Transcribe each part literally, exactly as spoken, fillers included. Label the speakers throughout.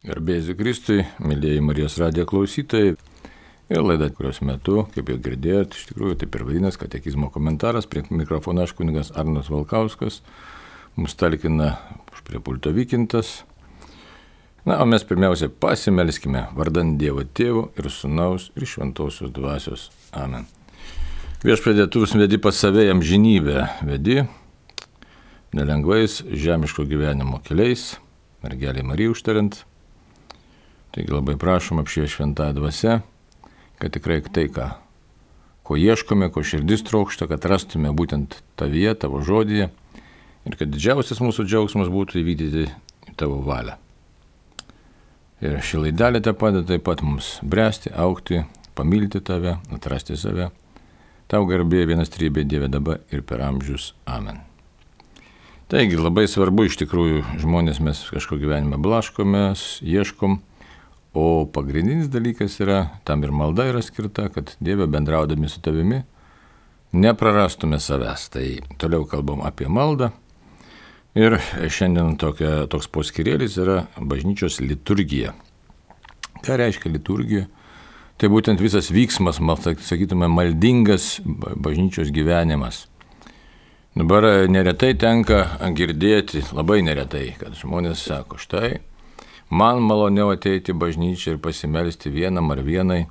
Speaker 1: Garbėsiu Kristui, mėlyjeji Marijos radijo klausytojai. Ir laida, kurios metu, kaip jau girdėjot, iš tikrųjų taip ir vadinasi katekizmo komentaras. Prie mikrofono aš kunigas Arnas Valkauskas. Mums talkina prie pulto Vykintas. Na, o mes pirmiausia pasimelskime vardant Dievo Tėvo ir Sūnaus ir Šventosios Dvasios. Amen. Viešpatie, tu vis vedi pas save amžinybę, vedi nelengvais žemiško gyvenimo keliais, mergelė Marija užtariant. Taigi labai prašom apšvies šventąją dvasią, kad tikrai tai, ką, ko ieškome, ko širdis trokšta, kad rastume būtent tavyje, tavo žodyje ir kad didžiausias mūsų džiaugsmas būtų įvykdyti tavo valią. Ir ši laidelė te padeda taip pat mums bręsti, augti, pamilti tave, atrasti save. Tau garbė vienas trybė Dieve dabar ir per amžius. Amen. Taigi labai svarbu iš tikrųjų žmonės mes kažko gyvenime blaškomės, ieškom. O pagrindinis dalykas yra, tam ir malda yra skirta, kad Dieve bendraudami su tavimi neprarastume savęs. Tai toliau kalbam apie maldą. Ir šiandien tokia, toks poskirėlis yra bažnyčios liturgija. Ką reiškia liturgija? Tai būtent visas vyksmas, sakytume, maldingas bažnyčios gyvenimas. Dabar neretai tenka girdėti, labai neretai, kad žmonės sako, štai, man maloniau ateiti į bažnyčią ir pasimelsti vienam ar vienai,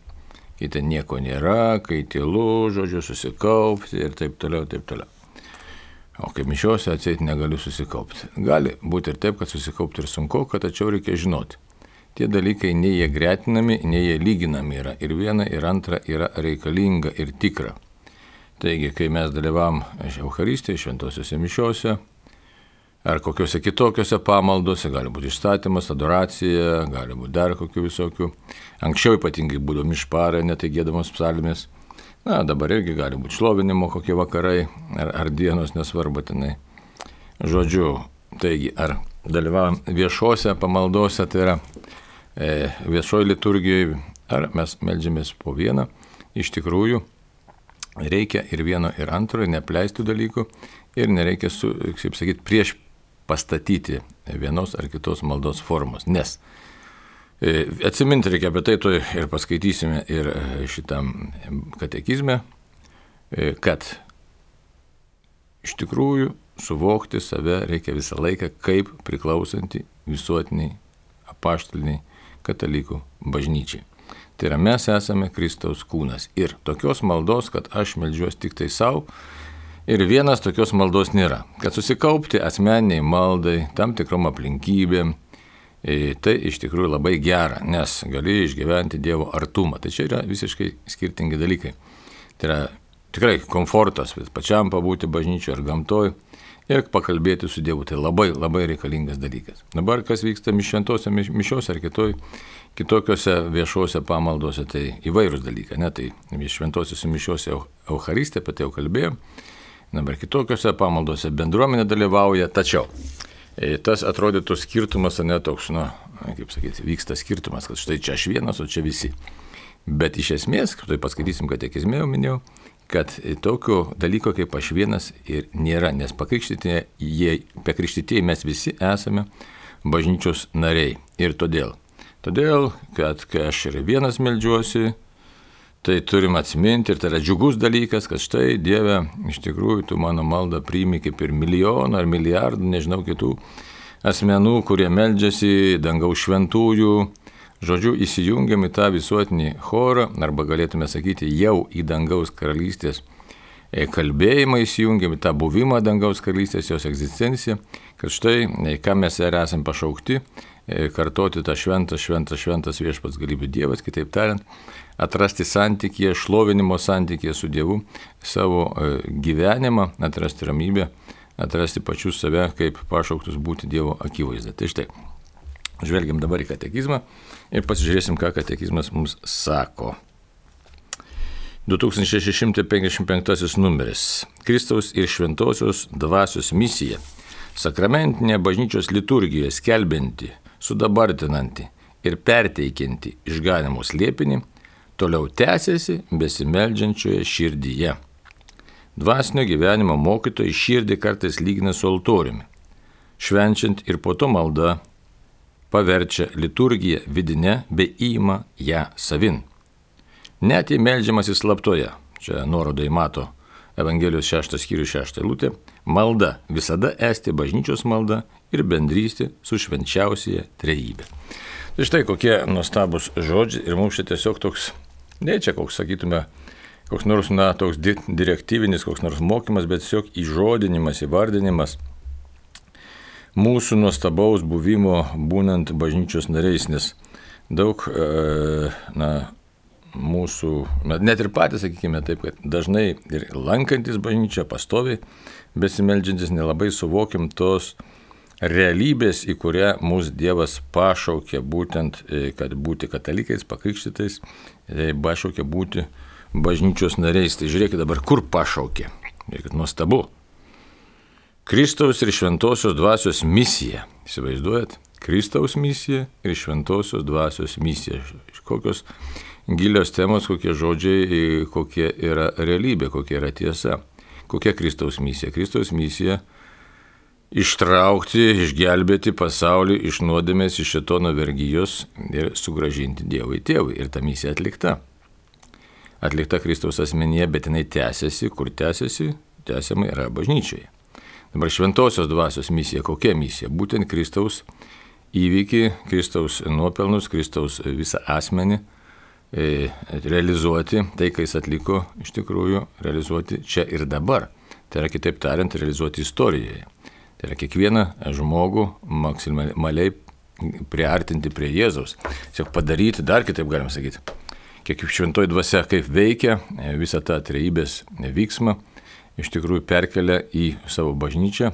Speaker 1: kai ten nieko nėra, kai tylu, žodžiu, susikaupti ir taip toliau, taip toliau. O kai mišiuose atseit negaliu susikaupti. Gali būti ir taip, kad susikaupti ir sunku, kad tačiau reikia žinoti. Tie dalykai nei jie gretinami, nei jie lyginami yra. Ir viena, ir antra yra reikalinga ir tikra. Taigi, kai mes dalyvavom Eucharistėje, šventosiuose mišiuose, ar kokiuose kitokiuose pamaldose, gali būti išstatymas, adoracija, gali būti dar kokių visokių. Anksčiau ypatingai būdavo mišparai, netai giedamos psalmės. Na, dabar irgi gali būti šlovinimo kokie vakarai ar, ar dienos, nesvarbu tenai. Žodžiu, taigi, ar dalyvavom viešuose pamaldose, tai yra e, viešoji liturgijoje, ar mes meldžiamės po vieną. Iš tikrųjų, reikia ir vieno, ir antro, ir neapleistų dalykų, ir nereikia, su, kaip sakyti, prieš pastatyti vienos ar kitos maldos formos. Nes e, atsiminti reikia apie tai, to ir paskaitysime ir šitam katekizme, e, kad iš tikrųjų suvokti save reikia visą laiką kaip priklausantį visuotiniai apaštaliniai katalikų bažnyčiai. Tai yra, mes esame Kristaus kūnas. Ir tokios maldos, kad aš meldžiuosi tik tai savo, ir vienas tokios maldos nėra. Kad susikaupti asmeniniai maldai, tam tikrom aplinkybėm, tai iš tikrųjų labai gera, nes gali išgyventi Dievo artumą. Tai čia yra visiškai skirtingi dalykai. Tai yra tikrai komfortas, pačiam pabūti bažnyčioje ar gamtoj ir pakalbėti su Dievu. Tai labai, labai reikalingas dalykas. Dabar kas vyksta šventose mišiose ar kitoj, kitokiose viešuose pamaldose, tai įvairūs dalykai. Ne? Tai šventosiuose mišiuose Eucharistė, apie tai jau kalbėjom. Dabar kitokiose pamaldose bendruomenė dalyvauja, tačiau tas atrodytų skirtumas, ne toks, nu, kaip sakyti, vyksta skirtumas, kad štai čia aš vienas, o čia visi. Bet iš esmės, tai paskaitysim katekizme, jau minėjau, kad tokio dalyko kaip aš vienas ir nėra, nes pakrikštytieji mes visi esame bažnyčios nariai. Ir todėl, todėl, kad kai aš ir vienas meldžiuosi, tai turim atsiminti ir tai yra džiugus dalykas, kad štai Dieve, iš tikrųjų, tu mano maldą priimi kaip ir milijoną ar milijardų, nežinau, kitų asmenų, kurie meldžiasi dangaus šventųjų. Žodžiu, įsijungiam į tą visuotinį chorą, arba galėtume sakyti, jau į dangaus karalystės kalbėjimą įsijungiam, į tą buvimą dangaus karalystės, jos egzistenciją, kad štai, ką mes ir esam pašaukti, kartoti tą šventas, šventas, šventas viešpats galybių Dievas, kitaip tariant, atrasti santykyje, šlovinimo santykyje su Dievu, savo gyvenimą, atrasti ramybę, atrasti pačius save, kaip pašauktus būti Dievo akivaizda. Tai štai, žvelgiam dabar į katekizmą ir pasižiūrėsim, ką katekizmas mums sako. du tūkstančiai šeši šimtai penkiasdešimt penktasis numeris. Kristaus ir Šventosios Dvasios misija. Sakramentinė bažnyčios liturgija skelbianti, sudabartinanti ir perteikianti išganimo slėpinį toliau tęsiasi besimeldžiančioje širdyje. Dvasinio gyvenimo mokytojai širdį kartais lygina su altoriumi, švenčiant ir po to malda paverčia liturgiją vidinę bei įima ją savin. Net jei meldžiamasi slaptoje, čia nuoroda į Mato Evangelijos šeštas skyrius šeštą eilutę, malda visada esti bažnyčios malda ir bendrystė su švenčiausiaja trejybe. Tai štai kokie nuostabus žodžiai ir mums čia tiesiog toks, ne čia koks, sakytume, koks nors, na, toks direktyvinis, koks nors mokymas, bet tiesiog įžodinimas, įvardinimas mūsų nuostabaus buvimo būnant bažnyčios nariais, nes daug, na, mūsų, net ir patys, sakykime taip, kad dažnai ir lankantis bažnyčią, pastoviai besimeldžiantis, nelabai suvokim tos realybės, į kurią mūsų Dievas pašaukė būtent, kad būti katalikais, pakrikštytais, pašaukė būti bažnyčios nariais. Tai žiūrėkit dabar, kur pašaukė. Žiūrėkit, nuostabu. Kristaus ir šventosios dvasios misija. Įsivaizduojat? Kristaus misija ir šventosios dvasios misija. Kokios gilios temos, kokie žodžiai, kokia yra realybė, kokia yra tiesa. Kokia Kristaus misija? Kristaus misija ištraukti, išgelbėti pasaulį iš nuodėmės, iš šėtono vergijos ir sugrąžinti Dievui tėvui. Ir ta misija atlikta. Atlikta Kristaus asmenyje, bet jinai tęsiasi. Kur tęsiasi? Tęsiama yra bažnyčioje. Dabar šventosios dvasios misija. Kokia misija? Būtent Kristaus įvykį, Kristaus nuopelnus, Kristaus visą asmenį realizuoti, tai, kai jis atliko, iš tikrųjų, realizuoti čia ir dabar. Tai yra, kitaip tariant, realizuoti istorijoje. Tai yra kiekvieną žmogų maksimaliai priartinti prie Jėzaus. Tiesiog padaryti, dar kitaip galima sakyti, kiek šventoji dvasia kaip veikia visą tą trejybės vyksmą, iš tikrųjų perkelia į savo bažnyčią,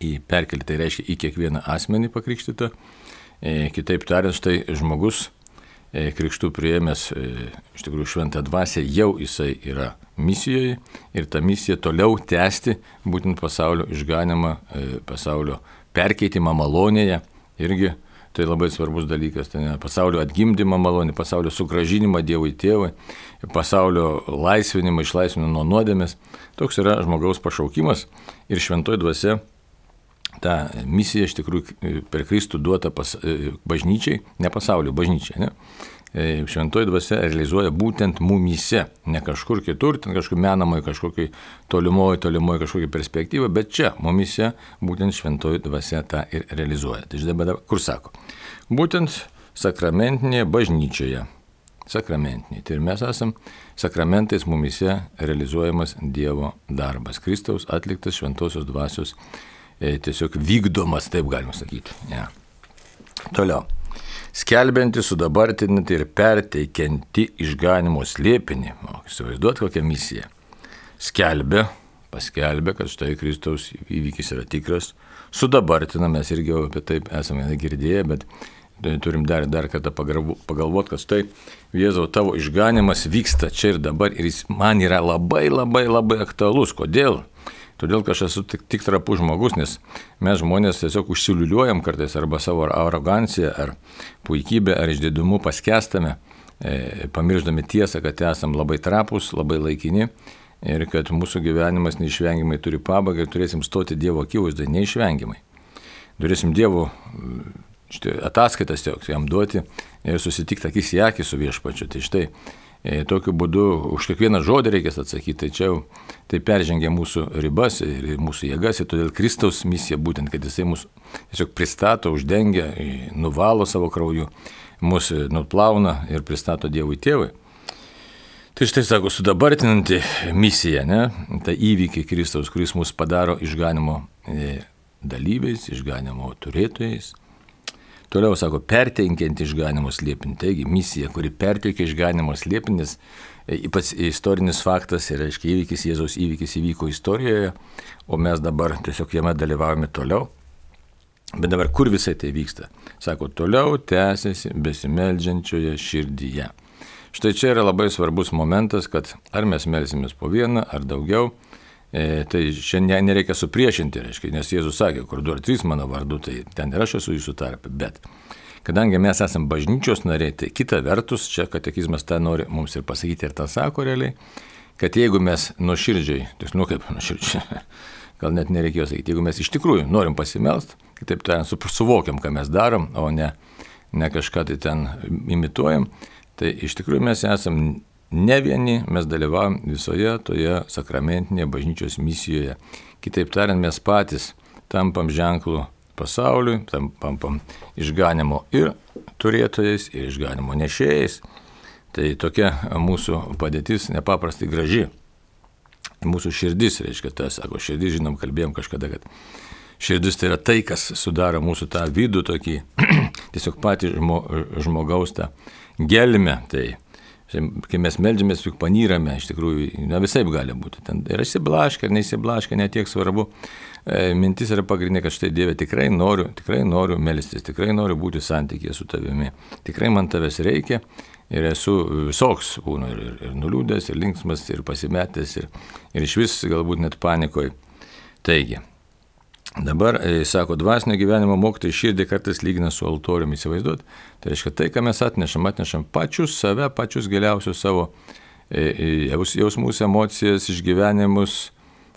Speaker 1: į perkelį, tai reiškia į kiekvieną asmenį pakrikštytą. Kitaip tariant, štai žmogus krikštų priėmęs iš tikrųjų šventą dvasią, jau jisai yra misijoje ir ta misija toliau tęsti būtent pasaulio išganimą, pasaulio perkeitimą malonėje, irgi tai labai svarbus dalykas, tai ne, pasaulio atgimdymą malonė, pasaulio sugrąžinimą Dievui tėvui, pasaulio laisvinimą, išlaisvinimą nuo nuodėmės. Toks yra žmogaus pašaukimas ir šventoji dvasia ta misija iš tikrųjų per Kristų duota pas, bažnyčiai, ne pasaulio, bažnyčiai, ne? Šventoji dvasia realizuoja būtent mumyse, ne kažkur kitur, ten kažkur menamai, kažkokiai tolimoji, tolimoji kažkokia perspektyva, bet čia mumyse būtent šventoji dvasia tą ir realizuoja. Tai žinai, kur sako? Būtent sakramentinėje bažnyčioje. Sakramentiniai. Tai ir mes esam sakramentais mumyse realizuojamas Dievo darbas. Kristaus atliktas šventosios dvasios tiesiog vykdomas, taip galima sakyti. Ja. Toliau. Skelbianti, sudabartinti ir perteikianti išganimo slėpinį. O, įsivaizduot kokią misiją. Skelbia, paskelbia, kad štai Kristaus įvykis yra tikras. Sudabartina, mes irgi apie taip esame girdėję, bet turim dar, dar kartą pagalvoti, kad štai Jėzau, tavo išganimas vyksta čia ir dabar ir jis man yra labai, labai, labai aktualus. Kodėl? Todėl, kad aš esu tik, tik trapus žmogus, nes mes žmonės tiesiog užsiliuliuojam kartais arba savo aroganciją, ar puikybę, ar išdidumu paskestame, e, pamirždami tiesą, kad esam labai trapus, labai laikini ir kad mūsų gyvenimas neišvengiamai turi pabaigą ir turėsim stoti Dievo akivaizdoje neišvengiamai. Turėsim Dievo štai, ataskaitas jam duoti ir susitikti akis į akį su viešpačiu. Tai štai, tokiu būdu už kiekvieną žodį reikės atsakyti, tai čia jau tai peržengia mūsų ribas ir mūsų jėgas ir todėl Kristaus misija būtent, kad jisai mus tiesiog pristato, uždengia, nuvalo savo krauju, mus nuplauna ir pristato Dievui tėvui. Tai štai sako, sudabartinanti misija, ne? Tai įvykiai Kristaus, kuris mus padaro išganimo dalyviais, išganimo turėtojais. Toliau sako, perteikianti išganimo slėpinį. Taigi, misija, kuri perteikia išganimo slėpinį, nes ypač istorinis faktas ir, aiškiai, įvykis, Jėzaus įvykis įvyko istorijoje, o mes dabar tiesiog jame dalyvaujame toliau. Bet dabar kur visai tai vyksta? Sako, toliau tęsiasi besimeldžiančioje širdyje. Štai čia yra labai svarbus momentas, kad ar mes melsimės po vieną, ar daugiau, E, tai šiandien nereikia supriešinti, reiškia, nes Jėzus sakė, kur du ar trys mano vardu, tai ten ir aš esu jūsų tarpe. Bet kadangi mes esame bažnyčios nariai, tai kita vertus, čia katekizmas tą nori mums ir pasakyti ir tą sako realiai, kad jeigu mes nuoširdžiai, tai nu kaip nuoširdžiai, gal net nereikėjo sakyti. Jeigu mes iš tikrųjų norim pasimelst, kitaip tariant, suvokiam, ką mes darom, o ne, ne kažką tai ten imituojam, tai iš tikrųjų mes esam ne vieni, mes dalyvaujam visoje toje sakramentinėje bažnyčios misijoje. Kitaip tariant, mes patys tampam ženklų pasauliui, tampam išganimo ir turėtojais, ir išganimo nešėjais. Tai tokia mūsų padėtis nepaprastai graži. Mūsų širdis, reiškia, tas, sako, širdis, žinom, kalbėjom kažkada, kad širdis tai yra tai, kas sudaro mūsų tą vidų tokį, tiesiog patį žmo, žmogaus tą gelmę. Tai, kai mes meldžiamės, juk panyrame, iš tikrųjų, na visaip gali būti. Ten yra įsiblaškę ar neįsiblaškę, netiek svarbu. E, mintis yra pagrindinė, kad štai Dieve, tikrai noriu, tikrai noriu melstis, tikrai noriu būti santykėje su tavimi. Tikrai man tavęs reikia. Ir esu visoks, būnu ir, ir, ir nuliūdęs, ir linksmas, ir pasimetęs, ir, ir iš vis galbūt net panikoje. Taigi, dabar, e, sako, dvasinio gyvenimo mokytojai širdį kartais lygina su altoriumi, įsivaizduot. Tai reiškia, tai, ką mes atnešam, atnešam pačius save, pačius giliausius savo e, jausmus, emocijas, išgyvenimus,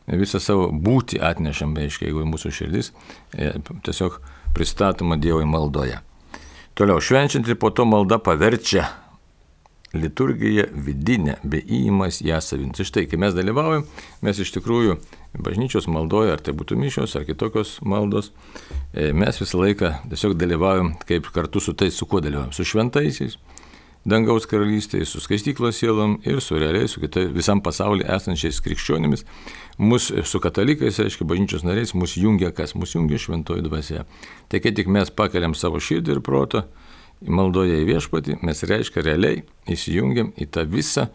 Speaker 1: visą savo būtį atnešam, reiškia, jeigu mūsų širdis e, tiesiog pristatoma Dievui maldoje. Toliau, švenčiant ir po to malda paverčia liturgija vidinė, be įimas ją savinti. Štai, kai mes dalyvaujam, mes iš tikrųjų bažnyčios maldoje, ar tai būtų mišios, ar kitokios maldos, mes visą laiką tiesiog dalyvaujam kaip kartu su tais, su kuo dalyvaujam, su šventaisiais, dangaus karalystėje, su skaistyklos sielom ir su realiai, su kitai, visam pasaulyje esančiais krikščionimis. Mūsų su katalikais, reiškia, bažnyčios nariais, mūsų jungia kas? Mūsų jungia šventoji dvasia. Tai kai tik mes pakeliam savo širdį ir protą, maldoje į viešpatį, mes reiškia realiai įsijungiam į tą visą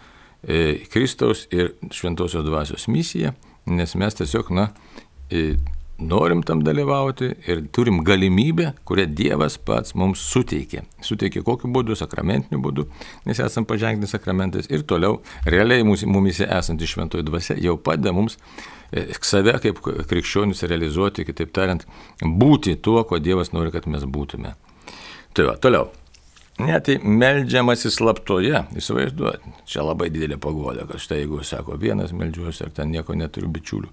Speaker 1: e, Kristaus ir šventosios dvasios misiją, nes mes tiesiog, na, e, norim tam dalyvauti ir turim galimybę, kurią Dievas pats mums suteikė. Suteikė kokiu būdu, sakramentiniu būdu, nes esam paženklinti sakramentais ir toliau realiai mumise esanti šventoji dvasia jau padeda mums e, save kaip krikščionis realizuoti, kitaip tariant, būti tuo, ko Dievas nori, kad mes būtume. Tai va, toliau. Net tai meldžiamasi slaptoje, įsivaizduoti, čia labai didelė paguoda, kad štai jeigu sako vienas meldžiuosi ar ten nieko neturiu bičiulių.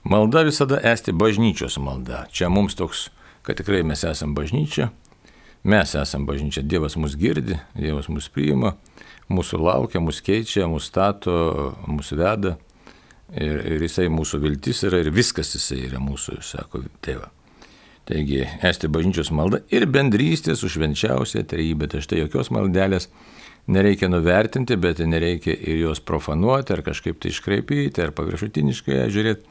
Speaker 1: Malda visada esti bažnyčios malda. Čia mums toks, kad tikrai mes esam bažnyčia, mes esam bažnyčia, Dievas mus girdi, Dievas mus priima, mūsų laukia, mus keičia, mus stato, mus veda ir, ir jisai mūsų viltis yra ir viskas jisai yra mūsų, sako tėva. Taigi, esti bažnyčios malda ir bendrystė su švenčiausia trejybe. Tai štai jokios maldelės nereikia nuvertinti, bet nereikia ir jos profanuoti, ar kažkaip tai iškraipyti, ar paviršutiniškai žiūrėti.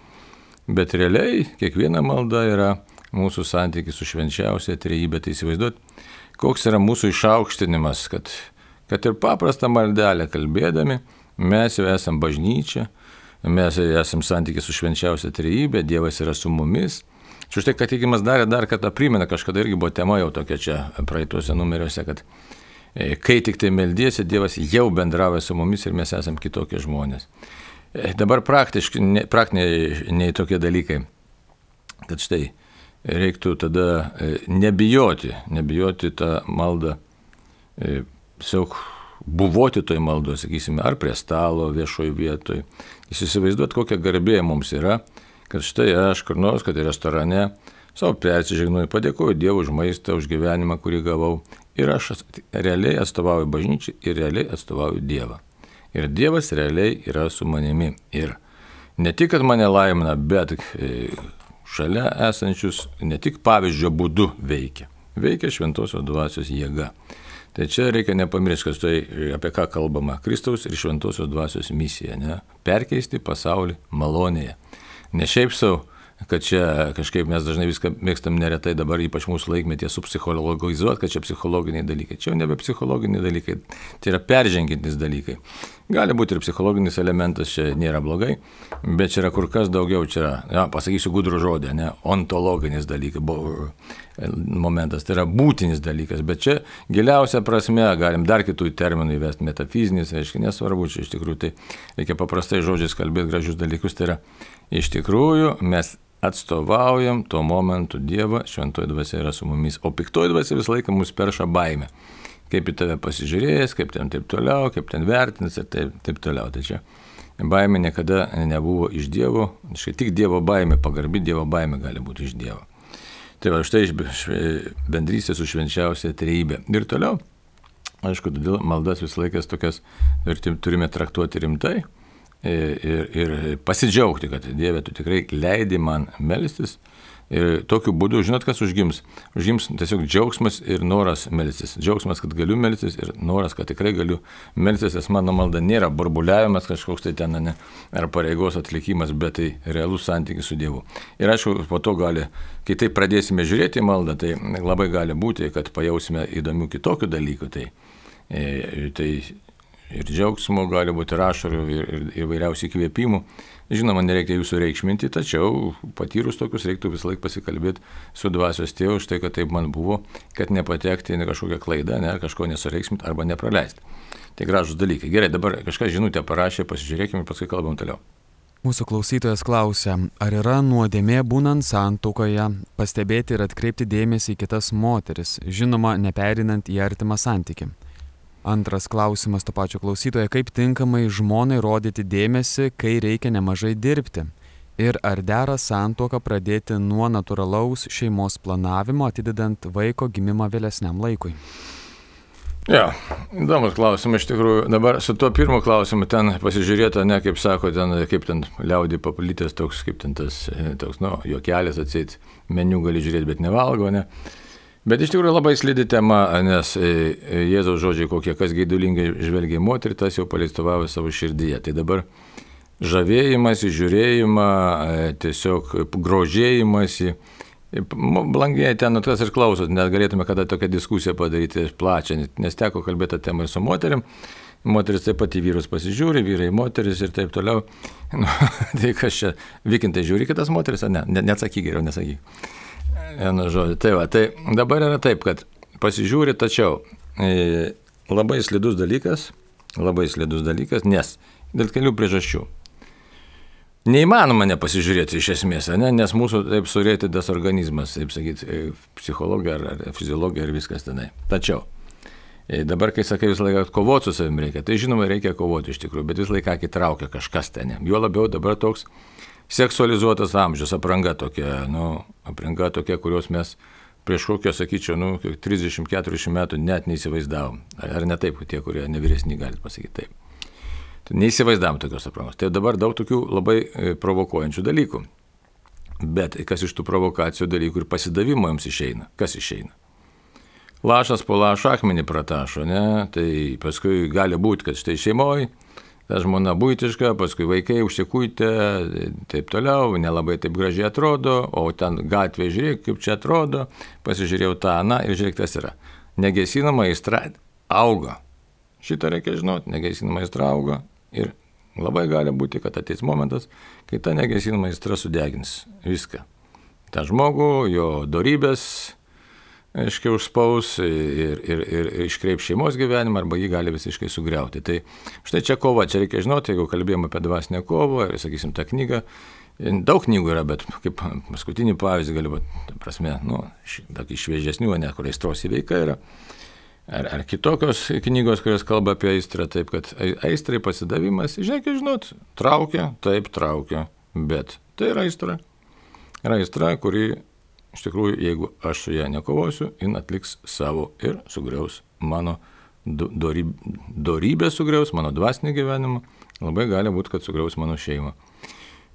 Speaker 1: Bet realiai kiekviena malda yra mūsų santykis su švenčiausia trejybe. Tai įsivaizduot, koks yra mūsų išaukštinimas, kad, kad ir paprastą maldelę kalbėdami, mes jau esam bažnyčia, mes esam santykis su švenčiausia trejybe, Dievas yra su mumis. Štai, kad tikimas darė dar kartą primena, kažkada irgi buvo tema jau tokia čia praeituose numeriuose, kad e, kai tik tai meldiesi, Dievas jau bendrauja su mumis ir mes esam kitokie žmonės. E, dabar praktiškai, ne, praktiniai nei tokie dalykai, kad štai reiktų tada e, nebijoti, nebijoti tą maldą, e, tiesiog buvoti toj maldoje, sakysime, ar prie stalo viešoj vietoj. Jūs įsivaizduot, kokia garbė mums yra, kad štai aš kur nors, kad ir restorane, savo persižegnuoju, padėkoju Dievui už maistą, už gyvenimą, kurį gavau. Ir aš realiai atstovauju bažnyčiai ir realiai atstovauju Dievą. Ir Dievas realiai yra su manimi. Ir ne tik, kad mane laimina, bet šalia esančius ne tik pavyzdžio būdu veikia. Veikia šventosios dvasios jėga. Tai čia reikia nepamiršti, kad tai apie ką kalbama. Kristaus ir šventosios dvasios misija. Ne? Perkeisti pasaulį malonėje. Ne šiaip savo, kad čia kažkaip mes dažnai viską mėgstam neretai dabar, ypač mūsų laikmetėje, supsichologizuoti, kad čia psichologiniai dalykai. Čia jau nebe psichologiniai dalykai, tai yra peržengiantis dalykai. Gali būti ir psichologinis elementas, čia nėra blogai, bet čia yra kur kas daugiau, čia yra, ja, pasakysiu gudrų žodį, ne, ontologinis dalykas, momentas, tai yra būtinis dalykas, bet čia giliausia prasme, galim dar kitų terminų įvesti, metafizinis, reiškia, nesvarbu, čia iš tikrųjų tai reikia paprastai žodžiais kalbėti gražius dalykus, tai yra iš tikrųjų mes atstovaujam tuo momentu Dievą, šventoji dvasia yra su mumis, o piktoji dvasia visą laiką mus perša baimę. Kaip į tave pasižiūrėjęs, kaip ten taip toliau, kaip ten vertins ir taip, taip toliau. Tai čia baimė niekada nebuvo iš Dievo, štai tik Dievo baimė, pagarbi Dievo baimė gali būti iš Dievo. Tai va, štai iš bendrystės su švenčiausia trejybė. Ir toliau, aišku, todėl maldas visą laikas tokias turime traktuoti rimtai ir, ir pasidžiaugti, kad Dieve, tu tikrai leidi man melstis. Ir tokiu būdu, žinot, kas užgims? Užgims tiesiog džiaugsmas ir noras melstis. Džiaugsmas, kad galiu melstis ir noras, kad tikrai galiu melstis, nes mano malda nėra burbuliavimas kažkoks tai ten, ne, ar pareigos atlikimas, bet tai realus santykis su Dievu. Ir aišku, po to gali, kai tai pradėsime žiūrėti į maldą, tai labai gali būti, kad pajausime įdomių kitokių dalykų. Tai, tai ir džiaugsmo gali būti ir ašarų, ir, ir įvairiausių įkvėpimų. Žinoma, nereikia jūsų reikšminti, tačiau patyrus tokius reiktų visą laiką pasikalbėti su dvasios tėvu, štai kad taip man buvo, kad nepatekti į kažkokią klaidą, ne, kažko nesureikšminti arba nepraleisti. Tai gražus dalykai. Gerai, dabar kažką žinutę parašė, pasižiūrėkime ir paskui kalbam toliau.
Speaker 2: Mūsų klausytojas klausia, ar yra nuodėmė būnant santuokoje pastebėti ir atkreipti dėmesį į kitas moteris, žinoma, neperinant į artimą santykį. Antras klausimas to pačio klausytojo, kaip tinkamai žmonai rodyti dėmesį, kai reikia nemažai dirbti? Ir ar dera santuoką pradėti nuo natūralaus šeimos planavimo, atidedant vaiko gimimą vėlesniam laikui?
Speaker 1: Ja, įdomus klausimas iš tikrųjų. Dabar su tuo pirmu klausimu ten pasižiūrėta, ne, kaip sako, ten, kaip ten liaudį paplitęs toks, kaip ten tas, toks, nu, juokelis atseit, meniu gali žiūrėti, bet nevalgo, ne? Bet iš tikrųjų labai slidi tema, nes Jėzaus žodžiai kokie, kas geidulingai žvelgia į moterį, tas jau paleistuvavo savo širdyje. Tai dabar žavėjimas, žiūrėjimą, tiesiog grožėjimąsi, blangieji ten tas ir klausot, net galėtume kada tokią diskusiją padaryti plačią, nes teko kalbėti tą temą su moterim. Moteris taip pat į vyrus pasižiūri, vyrai į moteris ir taip toliau. Nu, tai kas čia, vykintai žiūri kitas moteris, ar ne? Neatsakyk geriau, nesakyk. Vienu žodžiu. Tai va, tai dabar yra taip, kad pasižiūri, tačiau e, labai slidus dalykas, labai slidus dalykas, nes dėl kelių priežasčių. Neįmanoma nepasižiūrėti iš esmės, ne? Nes mūsų taip surėtidas organizmas, taip sakyti, psichologija ar, ar fiziologija ir viskas tenai. Tačiau e, dabar, kai sakai visą laiką kovoti su savim reikia, tai žinoma reikia kovoti iš tikrųjų, bet visą laiką įtraukia kažkas ten. Jo labiau dabar toks seksualizuotas amžius, apranga tokia, nu, apranga tokia, kurios mes prieš kokio, sakyčiau, nu, trisdešimt keturiasdešimt metų net neįsivaizdavom. Ar ne taip, tie, kurie nevyresni, galit pasakyti taip. Tai neįsivaizdavom tokios aprangos. Tai dabar daug tokių labai provokuojančių dalykų. Bet kas iš tų provokacijų dalykų ir pasidavimo jums išeina? Kas išeina? Lašas po lašo akmenį pratašo, ne? Tai paskui gali būti, kad štai šeimoje ta žmona buitiška, paskui vaikai užsikuitė, taip toliau, nelabai taip gražiai atrodo, o ten gatvėje žiūrėk, kaip čia atrodo, pasižiūrėjau tą, na, ir žiūrėk, tas yra. Negesinama aistra auga. Šitą reikia žinoti, negesinama aistra auga ir labai gali būti, kad ateis momentas, kai ta negesinama aistra sudegins viską. Ta žmogų, jo dorybės, aiškiai užspaus ir, ir, ir, ir iškreip šeimos gyvenimą arba jį gali visiškai sugriauti. Tai štai čia kova, čia reikia žinoti, jeigu kalbėjome apie dvasinę kovą ir, sakysim, tą knygą, daug knygų yra, bet kaip paskutinį pavyzdį galiu, ta prasme, nu, tokį šviežesnių, ne, kur aistros įveika yra, ar, ar kitokios knygos, kurios kalba apie aistrą, taip, kad aistrai pasidavimas, žinai, žinot, traukia, taip traukia, bet tai yra aistra. Yra aistra, kuri iš tikrųjų, jeigu aš su ją nekovosiu, jin atliks savo ir sugriaus mano dorybę, sugriaus mano dvasinį gyvenimą, labai gali būti, kad sugriaus mano šeimą.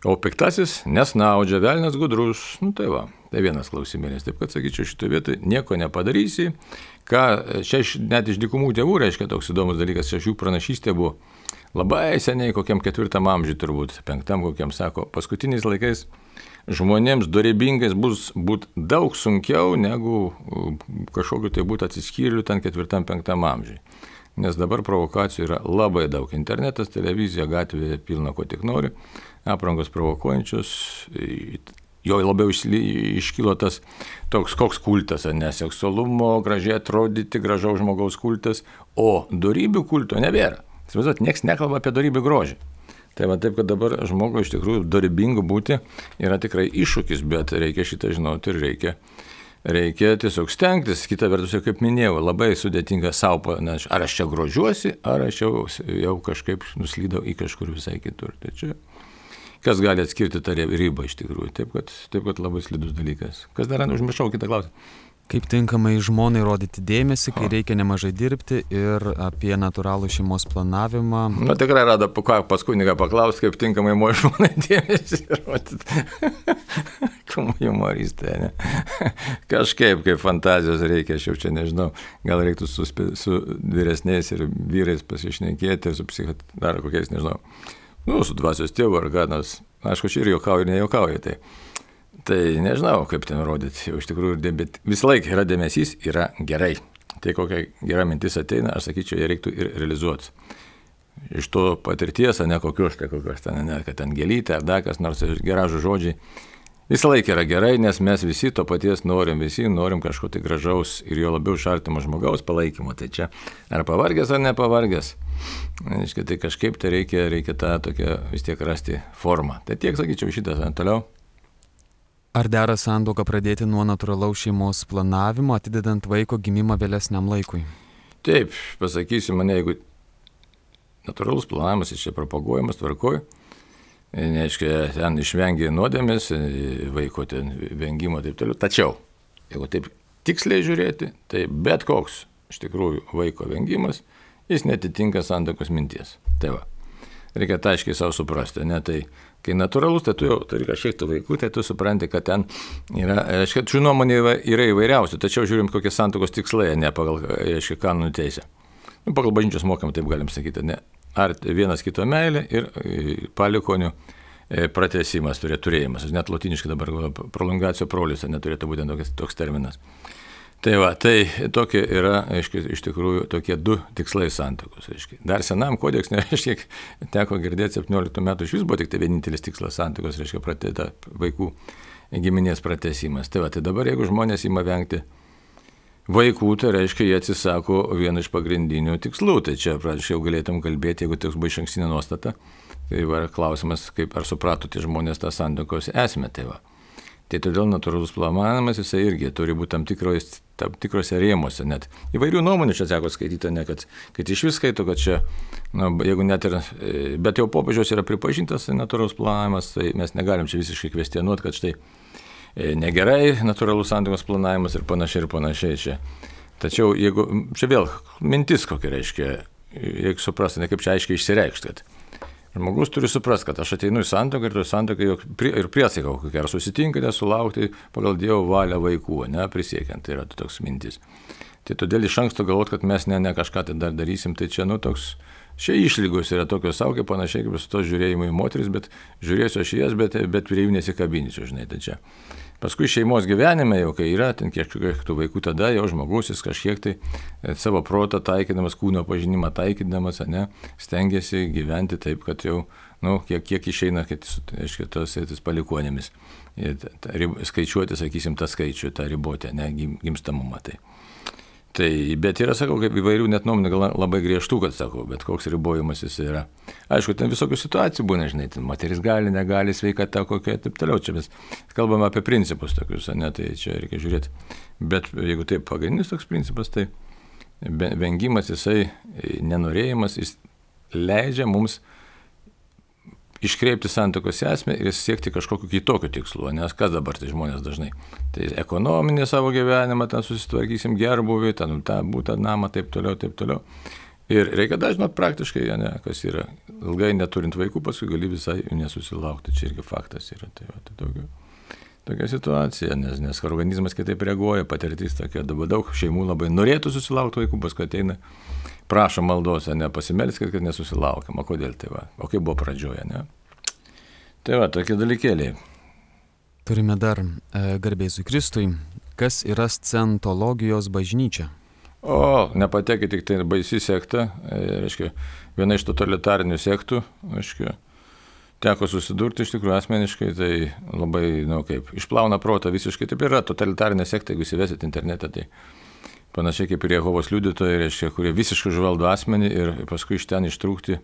Speaker 1: O piktasis nesnaudžia, velnias gudrus, nu tai va, tai vienas klausimėlis, taip kad sakyčiau, šitoje vietoje nieko nepadarysi, ką čia net iš dykumų tėvų reiškia toks įdomus dalykas, čia jų pranašystė buvo labai seniai, kokiam ketvirtam amžiui turbūt, penktam kokiam sako, paskutiniais laikais žmonėms dorybingais bus būt daug sunkiau negu kažkokiu tai būtų atsiskyrėlių ten ketvirtam, penktam amžiui. Nes dabar provokacijų yra labai daug. Internetas, televizija, gatvėje pilna ko tik nori, aprangos provokuojančios, jo labiau iškilo tas toks koks kultas, ne seksualumo, gražiai atrodyti, gražaus žmogaus kultas, o dorybių kulto nebėra. Įsivaizduot, nieks nekalba apie dorybių grožį. Tai va taip, kad dabar žmogui iš tikrųjų dorybingu būti yra tikrai iššūkis, bet reikia šitą žinoti ir reikia reikia tiesiog stengtis. Kita vertus, kaip minėjau, labai sudėtinga savo, ar aš čia grožiuosi, ar aš jau, jau kažkaip nuslydau į kažkur visai kitur. Tai čia, kas gali atskirti tą ribą iš tikrųjų. Taip, kad, taip, kad labai slidus dalykas. Kas dar užmiršau kitą klausimą?
Speaker 2: Kaip tinkamai žmonai rodyti dėmesį, kai reikia nemažai dirbti ir apie natūralų šeimos planavimą.
Speaker 1: Na tikrai rado, pas kuniga paklausti, kaip tinkamai žmonai dėmesį rodyti. Kuma humoristė, ne? Kažkaip, kaip fantazijos reikia, aš jau čia nežinau, gal reiktų su, su vyresniais ir vyrais pasišnekėti ir su psichoterapeute kokiais, nežinau, nu, su dvasios tėvu ar ganas, aišku, čia ir juokauju ir nejuokauju, tai. Tai nežinau, kaip ten rodyti, jau iš tikrųjų, bet visą laiką yra dėmesys, yra gerai. Tai kokia gera mintis ateina, aš sakyčiau, ją reiktų ir realizuoti. Iš to patirties, ne kokios, tai kokios ten, ne, kad ten gėlytė ar dar kas nors gražų žodžiai. Visą laiką yra gerai, nes mes visi to paties norim, visi norim kažko tai gražaus ir jo labiau iš artimo žmogaus palaikymo. Tai čia ar pavargęs ar nepavargęs. Aiškiai, tai kažkaip tai reikia, reikia tą tokią vis tiek rasti formą. Tai tiek sakyčiau šitas, toliau.
Speaker 2: Ar dera santuoką pradėti nuo natūralaus šeimos planavimo, atidedant vaiko gimimą vėlesniam laikui?
Speaker 1: Taip, pasakysiu mane, jeigu natūralus planavimas iš čia propaguojamas, tvarkoj, neaiškia, ten išvengia nuodėmės, vaiko ten vengimo taip toliau. Tačiau, jeigu taip tiksliai žiūrėti, tai bet koks iš tikrųjų vaiko vengimas, jis netitinka santuokos minties. Tai va, reikia tą aiškiai savo suprasti, ne tai. Kai natūralus, tai tu jau turi kažkiek tų vaikų, tai tu supranti, kad ten yra, reiškia, šių nuomonė yra įvairiausių, tačiau žiūrim, kokie santuokos tikslai, ne pagal, reiškia, kanonų teisę. Nu, pagal bažnyčios mokymą, taip galim sakyti, ne. Ar vienas kito meilė ir palikonių pratęsimas, turėjimas. Net lotiniškai dabar prolongacijo prolis, neturėtų būti toks, toks terminas. Tai va, tai tokie yra, aiškiai, iš tikrųjų, tokie du tikslai santuokos. Aiškiai. Dar senam kodeks, nereiškia, teko girdėti septynioliktų metų, iš vis buvo tik tai vienintelis tikslas santuokos, reiškia, pratėta vaikų giminės pratęsimas. Tai va, tai dabar, jeigu žmonės ima vengti vaikų, tai reiškia, jie atsisako vieną iš pagrindinių tikslų. Tai čia, pradžiai, jau galėtum kalbėti, jeigu toks buvo išankstinė nuostata. Tai va, klausimas, kaip ar suprato tie žmonės tą santuokos esmę. Tai va. Tai todėl natūralus planavimas, jisai irgi turi būti tam, tikros, tam tikrose rėmuose. Net įvairių nuomonių čia teko skaityti, ne, kad, kad iš vis skaito, kad čia, na, jeigu net ir, bet jau popiežiaus yra pripažintas natūralus planavimas, tai mes negalim čia visiškai kvestionuoti, kad štai negerai natūralus santuokos planavimas ir panašiai ir panašiai čia. Tačiau jeigu, čia vėl mintis kokia reiškia, reikia suprasti, ne kaip čia aiškiai išsireikšti, kad žmogus turi suprasti, kad aš ateinu į santuoką ir to santuoką ir priesaiką kokią, ar susitinkate sulaukti pagal Dievo valią vaikų, ne, prisiekiant, tai yra toks mintis. Tai todėl iš anksto galvot, kad mes ne, ne kažką tai dar darysim, tai čia, nu, toks, šie išlygos yra tokios saugiai, panašiai kaip su to žiūrėjimu į moteris, bet žiūrėsiu aš jas, bet, bet prie jų nesikabinsiu, žinai, tai čia. Paskui šeimos gyvenime jau, kai yra ten kiek tų vaikų, tada jau žmogus jis kažkiek tai savo protą taikydamas, kūno pažinimą taikydamas, ne, stengiasi gyventi taip, kad jau, nu, kiek, kiek išeina, kad aiškiai tos palikuonėmis. Ir ta, skaičiuoti, sakysim, tą skaičių, tą ribotę, ne, gimstamumą. Tai. Tai, bet yra, sakau, kaip įvairių net nuomonė, gal labai griežtų, kad sakau, bet koks ribojimas jis yra. Aišku, ten visokių situacijų būna, žinai, ten moteris gali, negali, sveikata kokia, taip toliau. Čia mes kalbame apie principus tokius, ne, tai čia reikia žiūrėti. Bet jeigu taip pagrindinis toks principas, tai vengimas, jisai, nenorėjimas, jis leidžia mums iškreipti santuokos esmę ir siekti kažkokiu kitokiu tikslu, nes kas dabar tai žmonės dažnai. Tai ekonominį savo gyvenimą, ten susitvarkysim gerbuvį, ten tą būtą namą, taip toliau, taip toliau. Ir reikia dažnai praktiškai, ne, kas yra, ilgai neturint vaikų, paskui gali visai nesusilaukti, čia irgi faktas yra. Tai, va, tai tokia, tokia situacija, nes, nes organizmas kitaip reaguoja, patirtis tokia, dabar daug šeimų labai norėtų susilaukti vaikų, paskui ateina, prašo maldos, ne, pasimelskit, kad nesusilaukiam, o kodėl tai va, o kaip buvo pradžioje, ne. Tai va, tokie dalykėliai.
Speaker 2: Turime dar e, garbėzui Kristui, kas yra scentologijos bažnyčia?
Speaker 1: O, nepatekė tik tai baisi sekta, e, reiškia, viena iš totalitarinių sektų, reiškia, teko susidurti iš tikrųjų asmeniškai, tai labai, nu kaip, išplauna protą visiškai, taip yra totalitarinė sekta, jeigu įsivesit internetą, tai panašiai kaip ir Jehovos liudytojai, reiškia, kurie visiškai užvaldo asmenį ir paskui iš ten ištrūkti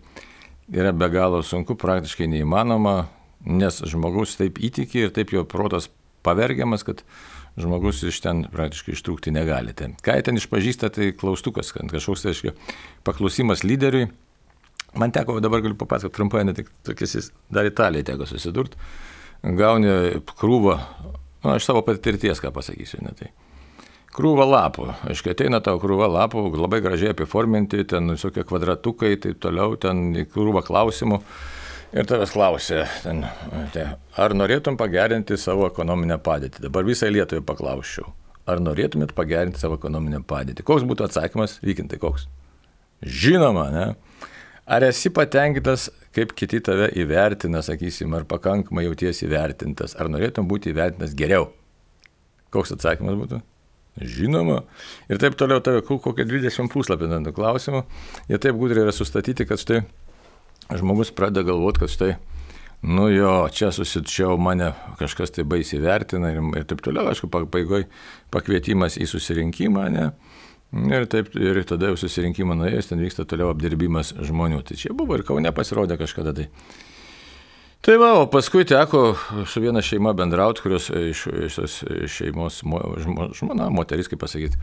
Speaker 1: yra be galo sunku, praktiškai neįmanoma, nes žmogus taip įtiki ir taip jo protas pavergiamas, kad žmogus iš ten praktiškai ištrūkti negali. Tai, ką ten išpažįsta, tai klaustukas, kažkoks, tai aiškiai, paklausimas lyderiui. Man teko, dabar galiu papasakoti trumpai, ne tik tokiais, dar Italijai teko susidurti. Gauni krūvą, nu, aš savo patirties ką pasakysiu, ne tai. Krūva lapų, aiškiai, ateina tau krūva lapų, labai gražiai apiforminti, ten visokie kvadratukai, taip toliau, ten krūva klausimų. Ir tavęs klausė, ten, tai, ar norėtum pagerinti savo ekonominę padėtį? Dabar visai Lietuvai paklausčiau, ar norėtumėt pagerinti savo ekonominę padėtį? Koks būtų atsakymas? Vykintai, koks? Žinoma, ne? Ar esi patenkintas, kaip kiti tave įvertina, sakysim, ar pakankamai jautiesi įvertintas, ar norėtum būti įvertintas geriau? Koks atsakymas būtų? Žinoma. Ir taip toliau tave kokie dvidešimt puslapį ant klausimų. Jie taip gudriai yra sustatyti, kad štai žmogus pradeda galvoti, kad štai, nu jo, čia susitčiau, mane kažkas tai baisiai vertina ir, ir taip toliau, aišku, pabaigoj pakvietimas į susirinkimą, ne? Ir taip, ir tada jau susirinkimą nuėjus, ten vyksta toliau apdirbimas žmonių. Tai čia buvo ir Kaune pasirodė kažkada tai. Tai va, o paskui teko su viena šeima bendrauti, kurios iš, iš tos šeimos žmona, moteris, kaip pasakyti,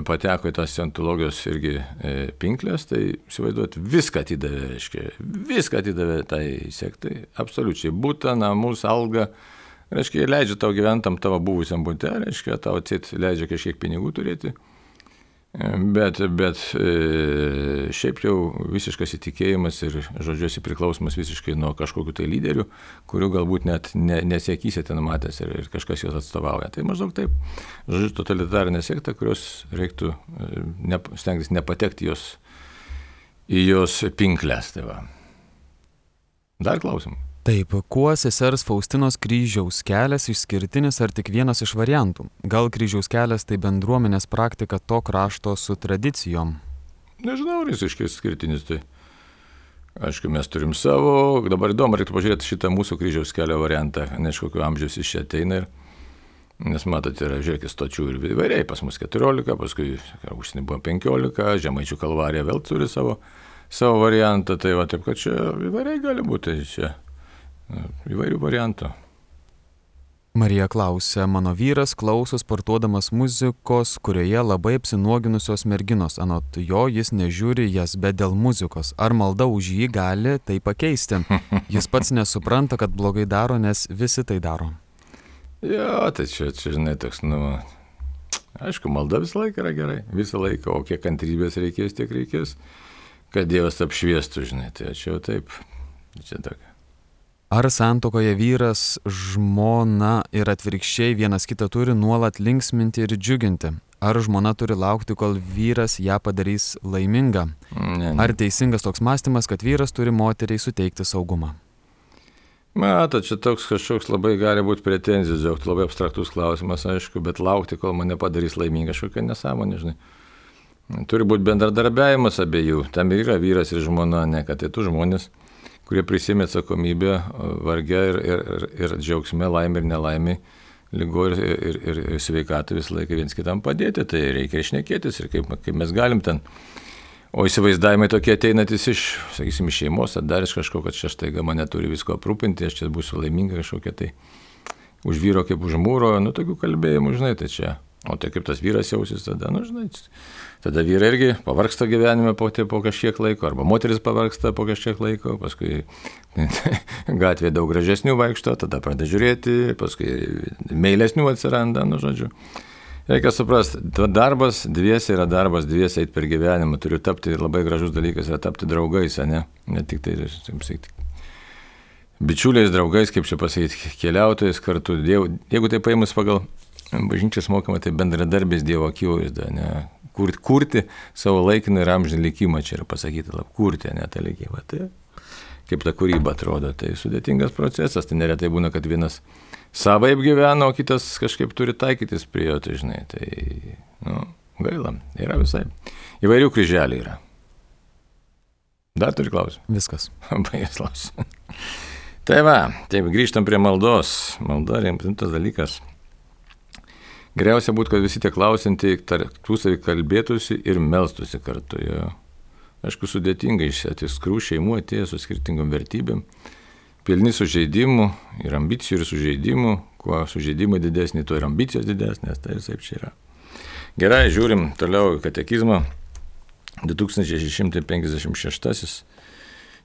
Speaker 1: pateko į tas scientologijos irgi pinklės, tai įsivaizduoti, viską atidavė, reiškia, viską atidavė tai sektai, absoliučiai, būtą, namus, algą, reiškia, leidžia tau gyventam tavo buvusiam bute, reiškia, tau atsit leidžia kažkiek pinigų turėti. Bet, bet e, šiaip jau visiškas įtikėjimas ir žodžiuosi priklausomas visiškai nuo kažkokių tai lyderių, kurių galbūt net ne, nesiekysi ten matęs ir, ir kažkas juos atstovauja. Tai maždaug taip, žodžiu, totalitarinė sekta, kurios reiktų ne, stengtis nepatekti jos, į jos pinklės. Tai va. Dar klausimų?
Speaker 2: Taip, kuo sesers Faustinos kryžiaus kelias išskirtinis ar tik vienas iš variantų? Gal kryžiaus kelias tai bendruomenės praktika to krašto su tradicijom?
Speaker 1: Nežinau, ar jis išskirtinis. Tai aišku, mes turim savo, dabar įdomu, reiktų pažiūrėti šitą mūsų kryžiaus kelio variantą, nes kokiu amžiaus iš čia ateina. Ir, nes matote, yra, žiūrėkit, stočių ir įvairiai, pas mus keturiolika, paskui užsienį buvo penkiolika, Žemaičių Kalvarija vėl turi savo, savo variantą, tai va taip, kad čia įvairiai gali būti čia. Įvairių variantų.
Speaker 2: Marija klausė, mano vyras klauso sportuodamas muzikos, kurioje labai apsinuoginusios merginos. Anot jo, jis nežiūri jas, bet dėl muzikos. Ar malda už jį gali tai pakeisti? Jis pats nesupranta, kad blogai daro, nes visi tai daro.
Speaker 1: Jo, tai čia, čia žinai, toks, nu, aišku, malda visą laiką yra gerai. Visą laiką, o kiek kantrybės reikės, tiek reikės, kad Dievas apšviestų, žinai. Tai čia jau taip, čia tokia.
Speaker 2: Ar santuokoje vyras, žmona ir atvirkščiai vienas kitą turi nuolat linksminti ir džiuginti? Ar žmona turi laukti, kol vyras ją padarys laimingą?
Speaker 1: Ne, ne.
Speaker 2: Ar teisingas toks mąstymas, kad vyras turi moteriai suteikti saugumą?
Speaker 1: Matot, čia toks kažkoks labai gali būti pretenzijos, jog labai abstraktus klausimas, aišku, bet laukti, kol mane padarys laimingą, kažkokia nesąmonė, žinai. Turi būti bendradarbiavimas abiejų. Tam yra vyras ir žmona, ne kad tai tu žmonės, kurie prisėmė atsakomybę varge ir, ir, ir, ir džiaugsme, laimė ir nelaimė, lygo ir, ir, ir, ir sveikatą visą laiką viens kitam padėti, tai reikia išnekėtis ir kaip, kaip mes galim ten. O įsivaizdavimai tokie ateinantis iš, sakysim, iš šeimos, ar dar iš kažko, kad čia štaiga mane turi visko aprūpinti, aš čia būsiu laiminga kažkokia tai už vyro kaip už mūro, nu tokių kalbėjimų, žinai, tai čia. O tai kaip tas vyras jausis tada, nu žinai, tada vyrai irgi pavargsta gyvenime po, po kažkiek laiko, arba moteris pavargsta po kažkiek laiko, paskui gatvėje daug gražesnių vaikšto, tada pradeda žiūrėti, paskui meilesnių atsiranda, nu žodžiu. Reikia suprasti, darbas dviese yra darbas dviese eit per gyvenimą, turiu tapti, labai gražus dalykas yra tapti draugais, ne, ne tik tai, taip sakyti, bičiuliais, draugais, kaip čia pasakyti, keliautojais kartu, diev, jeigu tai paimus pagal bažnyčios mokama, tai bendradarbės Dievo akivaizda, ne, kurti, kurti savo laikiną ir amžinį likimą, čia yra pasakyti, lab, kurti, ne, tą likimą, tai kaip ta kūryba atrodo, tai sudėtingas procesas, tai neretai būna, kad vienas savaip gyvena, o kitas kažkaip turi taikytis prie jo, tai žinai, tai, nu, gaila, yra visai, įvairių kryželių yra. Dar turi klausimą?
Speaker 2: Viskas.
Speaker 1: Baigęs klausimą. Tai va, taip, grįžtam prie maldos, malda rimtas dalykas. Geriausia būtų, kad visi tie klausintieji tarpusavy kalbėtųsi ir melstųsi kartu. Jo. Aišku, sudėtingai iš atskirų šeimų atėjo su skirtingom vertybėm, pilni sužeidimų ir ambicijų ir sužeidimų, kuo sužeidimai didesni, tuo ir ambicijos didesnės, tai ir taip čia yra. Gerai, žiūrim toliau į katekizmą. du tūkstančiai šeši šimtai penkiasdešimt šeštasis.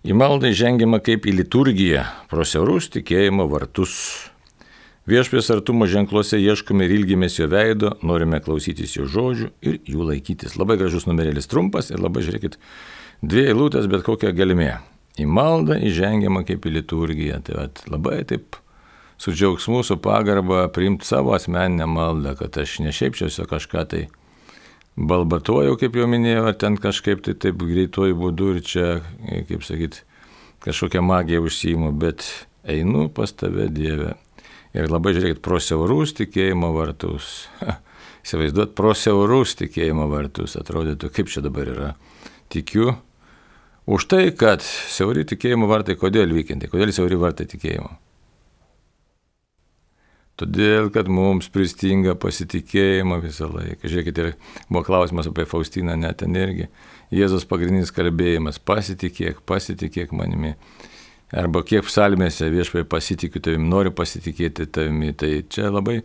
Speaker 1: Į maldą žengiama kaip į liturgiją, pro siaurus tikėjimo vartus. Viešpaties artumo ženkluose ieškome ir ilgimės jo veido, norime klausytis jo žodžių ir jų laikytis. Labai gražus numerėlis, trumpas ir labai, žiūrėkit, dvi eilutės, bet kokia galimė. Į maldą įžengiama kaip į liturgiją. Tai vat, labai taip su džiaugsmu, su pagarba priimti savo asmeninę maldą, kad aš ne šiaip čia kažką tai balbatuoju, kaip jau minėjau, ar ten kažkaip tai taip greituoju būdu ir čia, kaip sakyt, kažkokią magiją užsiimu, bet einu pas tave, Dieve. Ir labai, žiūrėkit, pro siaurus tikėjimo vartus. Įsivaizduot, pro siaurus tikėjimo vartus. Atrodytų, kaip čia dabar yra. Tikiu už tai, kad siauri tikėjimo vartai, kodėl vykinti, kodėl siauri vartai tikėjimo? Todėl, kad mums pristinga pasitikėjimo visą laiką. Žiūrėkit, ir buvo klausimas apie Faustiną net energiją. Jėzus pagrindinis kalbėjimas, pasitikėk, pasitikėk manimi. Arba kiek psalmėse viešpai pasitikiu tavimi, noriu pasitikėti tavimi. Tai čia labai,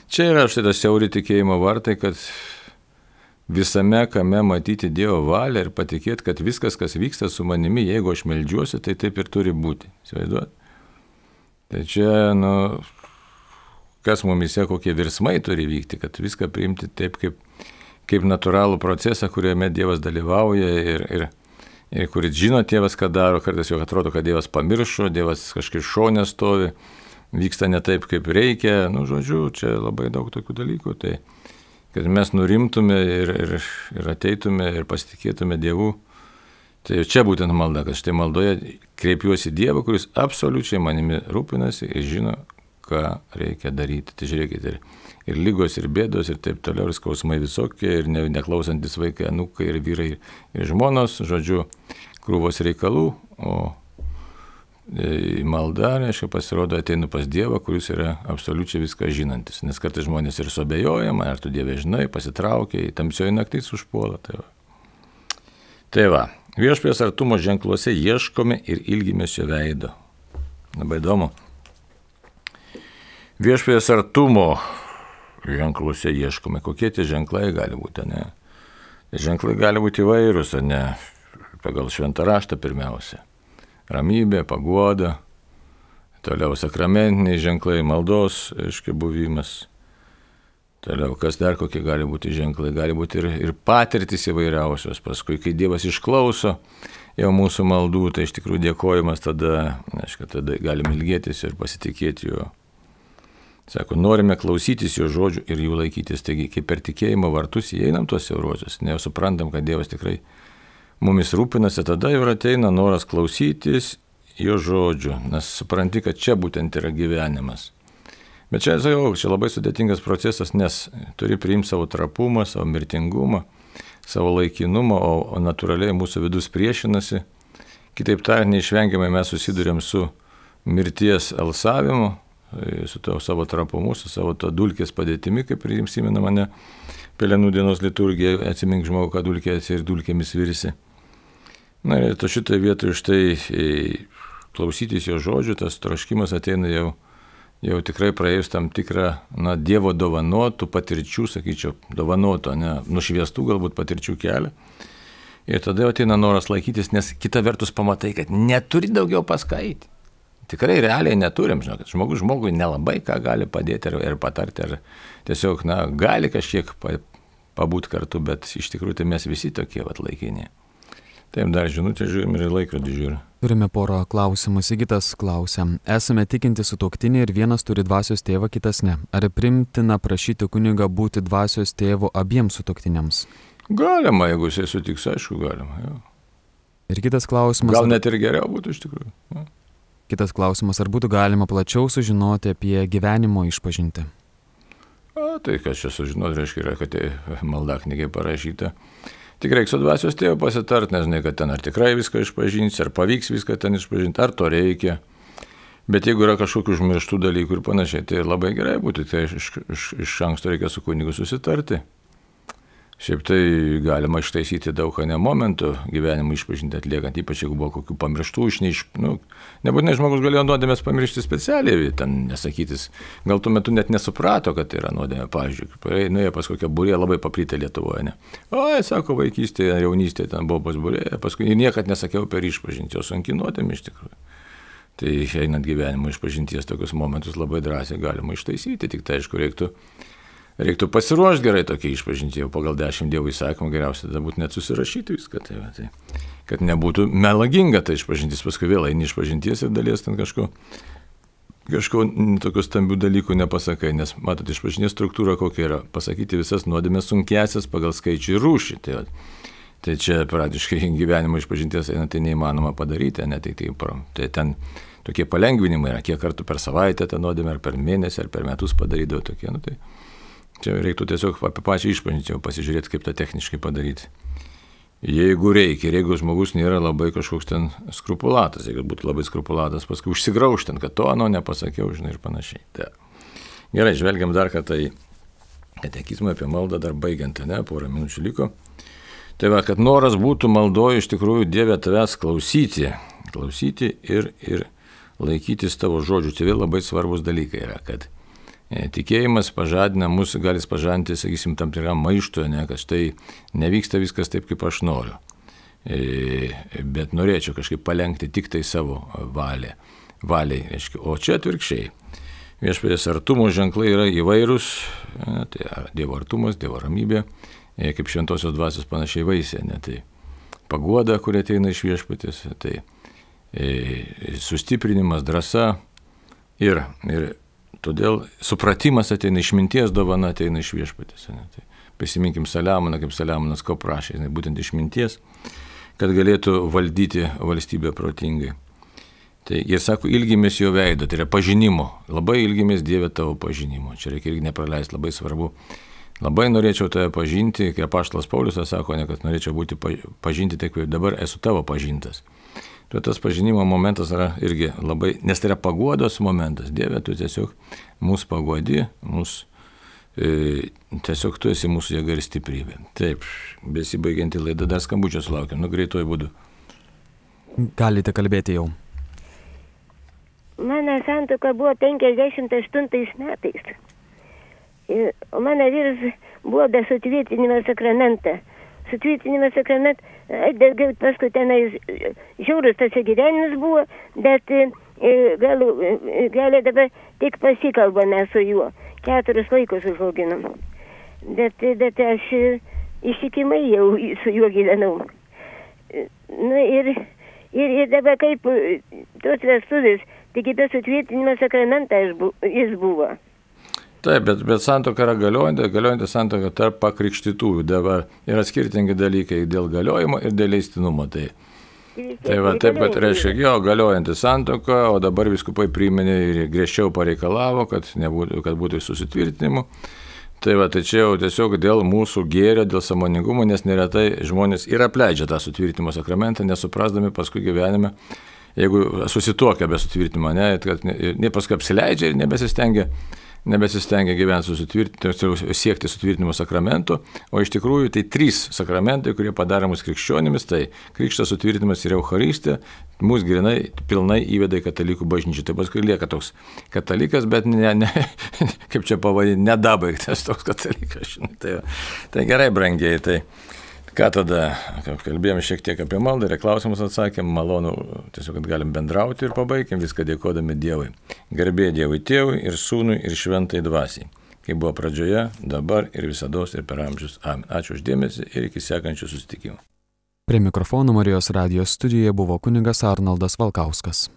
Speaker 1: čia yra štai tas siauri tikėjimo vartai, kad visame kame matyti Dievo valią ir patikėti, kad viskas, kas vyksta su manimi, jeigu aš meldžiuosi, tai taip ir turi būti. Įsivaizduot? Tai čia, nu, kas mumise, kokie virsmai turi vykti, kad viską priimti taip, kaip, kaip natūralų procesą, kuriame Dievas dalyvauja ir, ir, ir kuris žino Tėvas, ką daro, kartais jau atrodo, kad Dievas pamiršo, Dievas kažkaip šone stovi, vyksta ne taip, kaip reikia, nu, žodžiu, čia labai daug tokių dalykų, tai kad mes nurimtume ir, ir, ir ateitume ir pasitikėtume Dievu, tai čia būtent malda, kad štai maldoje kreipiuosi Dievą, kuris absoliučiai manimi rūpinasi ir žino, ką reikia daryti. Tai žiūrėkite, ir, ir lygos, ir bėdos, ir taip toliau, ir skausmai visokie, ir ne, neklausantis vaikai, anūkai, ir vyrai, ir žmonos, žodžiu, krūvos reikalų, o e, malda, reiškia, pasirodo, ateinu pas Dievą, kuris yra absoliučiai viską žinantis, nes kartais žmonės ir suabejoja, man, ar tu Dieve žinai, pasitraukia, tamsioji naktis užpuola. Tai va. Tai va, viešpaties artumo ženkluose ieškome ir ilgimės jo veido. Labai įdomu. Viešpaties artumo ženkluose ieškome. Kokie tie ženklai gali būti, ne? Ženklai gali būti įvairūs, ne? Pagal šventą raštą pirmiausia. Ramybė, paguoda, toliau sakramentiniai ženklai, maldos, aiškiai, buvimas. Toliau, kas dar kokie gali būti ženklai? Gali būti ir, ir patirtis įvairiausios. Paskui, kai Dievas išklauso jau mūsų maldų, tai iš tikrųjų dėkojimas tada, aiškiai, tada galim ilgėtis ir pasitikėti juo. Sako, norime klausytis jo žodžių ir jų laikytis. Taigi, kaip per tikėjimo vartus įeinam tuos siauruosius, ne jau suprantam, kad Dievas tikrai mumis rūpinasi, tada jau ateina noras klausytis jo žodžių, nes supranti, kad čia būtent yra gyvenimas. Bet čia, sakau, čia labai sudėtingas procesas, nes turi priimti savo trapumą, savo mirtingumą, savo laikinumą, o, o natūraliai mūsų vidus priešinasi. Kitaip tariant, neišvengiamai mes susidurėm su mirties alsavimu, su to savo trapumu, su savo to dulkės padėtimi, kaip ir jums įmena mane Pelenų dienos liturgija, atsimink žmogų, kad dulkė esi ir dulkėmis virsi. Na ir to šitoje vietoje štai klausytis jo žodžių, tas troškimas ateina jau, jau tikrai praėjus tam tikrą, na, Dievo dovanotų patirčių, sakyčiau, dovanoto, ne, nušviestų galbūt patirčių kelią. Ir tada ateina noras laikytis, nes kita vertus pamatai, kad neturi daugiau paskaityti. Tikrai realiai neturim, žinokit, žmogus žmogui nelabai ką gali padėti ir, ir patarti, ar tiesiog, na, gali kažkiek pabūti kartu, bet iš tikrųjų tai mes visi tokie vat laikiniai. Taip, dar žinutę žiūrim ir laikrodį žiūrim.
Speaker 2: Turime porą klausimų. Sigitas klausia. Esame tikinti sutuoktiniai ir vienas turi dvasios tėvą, kitas ne. Ar primtina prašyti kunigą būti dvasios tėvu abiems sutuoktiniams?
Speaker 1: Galima, jeigu jisai sutiks, aišku, galima. Jau.
Speaker 2: Ir kitas klausimas.
Speaker 1: Gal net ir geriau būtų iš tikrųjų. Jau.
Speaker 2: Kitas klausimas, ar būtų galima plačiau sužinoti apie gyvenimo išpažintį?
Speaker 1: O, tai kas čia sužinoti, reiškia, yra, kad tai maldaknygai parašyta. Tik reikia su dvasios tėvu pasitart, nežinai, kad ten ar tikrai viską išpažinsi, ar pavyks viską ten išpažinti, ar to reikia. Bet jeigu yra kažkokių užmirštų dalykų ir panašiai, tai labai gerai būtų, tai iš, iš, iš anksto reikia su kunigu susitarti. Šiaip tai galima ištaisyti daug ką ne momentų gyvenimo išpažinti atliekant, ypač jeigu buvo kokių pamirštų, išneiš... Nu, nebūtinai žmogus galėjo nuodėmės pamiršti specialiai, ten nesakytis, gal tuo metu net nesuprato, kad tai yra nuodėmė, pavyzdžiui, nuėjo pas kokią būrė labai paplytę Lietuvoje, ne. O, sako, vaikystėje, jaunystėje ten buvo pas būrė, paskui niekad nesakiau per išpažinti, o sunki nuodėmė iš tikrųjų. Tai einant gyvenimo išpažinties tokius momentus labai drąsiai galima ištaisyti, tik tai aišku reiktų Reiktų pasiruošti gerai tokia išpažinti, jau pagal dešimt Dievo įsakymų geriausia tada būtų net susirašyti viską, tai, va, tai, kad nebūtų melaginga tai išpažintis, paskui vėl eini išpažinties ir dalies ten kažko, kažko tokių stambių dalykų nepasakai, nes matot, išpažinties struktūra kokia yra, pasakyti visas nuodėmės sunkiasias pagal skaičių ir rūšį, tai, va, tai čia praktiškai gyvenimo išpažinties eina, tai neįmanoma padaryti, ne tik tai, tai ten tokie palengvinimai yra, kiek kartų per savaitę tą nuodėmę, ar per mėnesį, ar per metus padarydavo tokie, nu tai. Čia reiktų tiesiog apie pačią išpažinti, pasižiūrėti, kaip tą techniškai padaryti. Jeigu reikia, ir jeigu žmogus nėra labai kažkoks ten skrupulatas, jeigu būtų labai skrupulatas, paskui užsigraužtent, kad to ano nepasakiau, žinai, ir panašiai. Tai. Gerai, žvelgiam dar kartą į katekizmą apie maldą, dar baigiant, ne, porą minučių liko. Tai va, kad noras būtų maldoje iš tikrųjų Dieve tavęs klausyti, klausyti ir, ir laikytis tavo žodžių. Tai vėl labai svarbus dalykai yra, kad tikėjimas pažadina mus, gali pažadinti, sakysim, tam tikram maištui, ne, kad štai nevyksta viskas taip, kaip aš noriu. E, bet norėčiau kažkaip palenkti tik tai savo valią. Valiai, reiškia. O čia atvirkščiai. Viešpaties artumo ženklai yra įvairūs, ne, tai Dievo artumas, Dievo ramybė, e, kaip šventosios dvasios panašiai vaisė, ne, tai paguoda, kurie ateina iš viešpaties, tai e, sustiprinimas, drąsa ir, ir todėl supratimas ateina, išminties dovana ateina iš viešpatės. Tai prisiminkim Saliamoną, kaip Saliamonas ko prašė, ne, būtent išminties, kad galėtų valdyti valstybę protingai. Tai jie sako, ilgimės jo veido, tai yra pažinimo, labai ilgimės Dieve tavo pažinimo. Čia reikia irgi nepraleisti, labai svarbu. Labai norėčiau tave pažinti, kaip apaštalas Paulius sako, ne, kad norėčiau būti pažinti, taip kaip dabar esu tavo pažintas. Tai tas pažinimo momentas yra irgi labai, nes tai yra paguodos momentas. Dieve, tu tiesiog mūsų paguodi, mūsų, e, tiesiog tu esi mūsų jėga ir stiprybė. Taip, besibaigianti laida, dar skambučio sulaukiam, nu greituoju būdu.
Speaker 2: Galite kalbėti jau.
Speaker 3: Mano santuoka buvo penkiasdešimt aštuntais metais. O mano vyras buvo be sutvirtinimo sakramento. Sutvirtinimo sakramentas, paskui tenais žiaurus tas gyvenimas buvo, bet gal, gal dabar tik pasikalbame su juo. Keturis vaikus užauginom. Bet, bet aš ištikimai jau su juo gyvenau. Nu, ir, ir, ir dabar kaip tos vestuvės, tik be sutvirtinimo sakramento jis buvo.
Speaker 1: Taip, bet, bet santuoka yra galiojanti, galiojanti santuoka tarp pakrikštytųjų. Dabar yra skirtingi dalykai dėl galiojimo ir dėl leistinumo. Tai, tai va, taip, kad reiškia, jo, galiojanti santuoka, o dabar vyskupai priminė ir griežčiau pareikalavo, kad, nebūtų, kad būtų susitvirtinimu. Tai va, tai čia jau tiesiog dėl mūsų gėrio, dėl sąmoningumo, nes neretai žmonės ir apleidžia tą sutvirtinimo sakramentą, nesuprasdami paskui gyvenime, jeigu susituokia be sutvirtinimo, ne, kad ne, ne paskui apsileidžia ir nebesistengia. nebesistengia gyventi susitvirtinimo, siekti sutvirtinimo sakramento, o iš tikrųjų tai trys sakramentai, kurie padaro mus krikščionimis, tai krikštas, sutvirtinimas ir Eucharistija, mus grinai pilnai įveda į katalikų bažnyčią. Tai paskui lieka toks katalikas, bet ne, ne, kaip čia pavadinti, nedabaigtas toks katalikas. Tai, tai gerai, brangiai, tai ką tada, kalbėjome šiek tiek apie maldą ir klausimus atsakėm, malonu, tiesiog, kad galim bendrauti ir pabaigim viską dėkodami Dievui. Garbė Dievui Tėvui ir Sūnui ir Šventai Dvasiai, kaip buvo pradžioje, dabar ir visados ir per amžius. Amen. Ačiū už dėmesį ir iki sekančių susitikimų.
Speaker 2: Prie mikrofono Marijos radijos studijoje buvo kunigas Arnoldas Valkauskas.